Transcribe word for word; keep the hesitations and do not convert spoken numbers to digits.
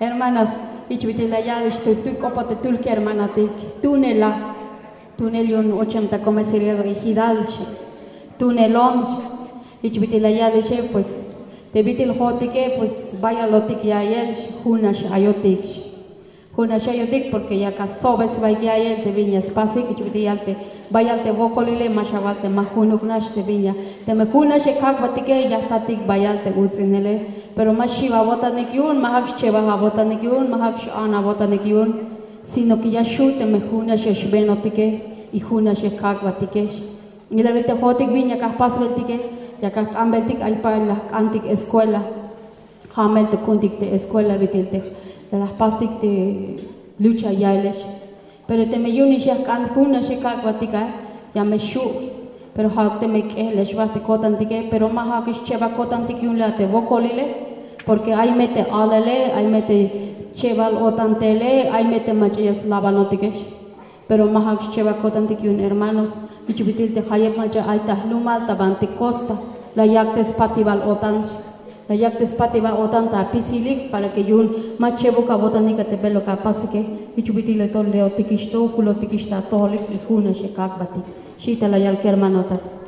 Hermanas, jich bit'il la yal ix te tul k'opoj te tul kermanotik, tunela, tunel yu'un ochem ta comisaría ejidal, tunelon. Jich bit'il la yal ixe, pues te bit'il jo'otike pues bayalotik ya'iyel, junax ayotik. Junax ayotik porque yak astsobe sbaik ya'iyel te bin ya spasik. Jich bit'il yal te bayal te wokolile, ma xawal te ma junuk nax te bin ya, teme junax e kak'batike ya jtatik bayal te uts'inele. Pero ma xiw awo'tanik yu'un, ma ja'uk xchebaj awo'tanik yu'un, ma ja'uk x-an awo'tanik yu'un, sino que ya xju' teme junax e xbenotike y junax e kak'batike. Y la awil te jo'otik bin yak ajpasbeltike, yak ajk'anbeltik, ay pal la jk'antik escuela. Ja' mel te ku'untik te escuela bit'il te la jpastik te lucha ya'iyel. Pero teme yu'unix ya jk'an junax e kak'batik a, ya me xju'. Pero ja'uk teme k'ejel ya xbajt te ko'tantike, pero ma ja'uk xchebaj ko'tantik yu'un la te wokolile, porque ay me te alele, ay me te chebal o'tan tele, ay me te mach'a ya slabanotike. Pero ma ja'uk xchebaj ko'tantik yu'un, hermanos. Jich bit'il te jayeb mach'a ay ta jlumal ta bantik costa, la yak te spatibal o'tan, la yak te spatibal o'tan ta apisilik para que yu'un ma chebuk awo'tanik a te beluk apasike. Jich bit'il le tol leotikix to, julotikix ta atojolik y junax e kak'batik. Xi te la yal kermanotak.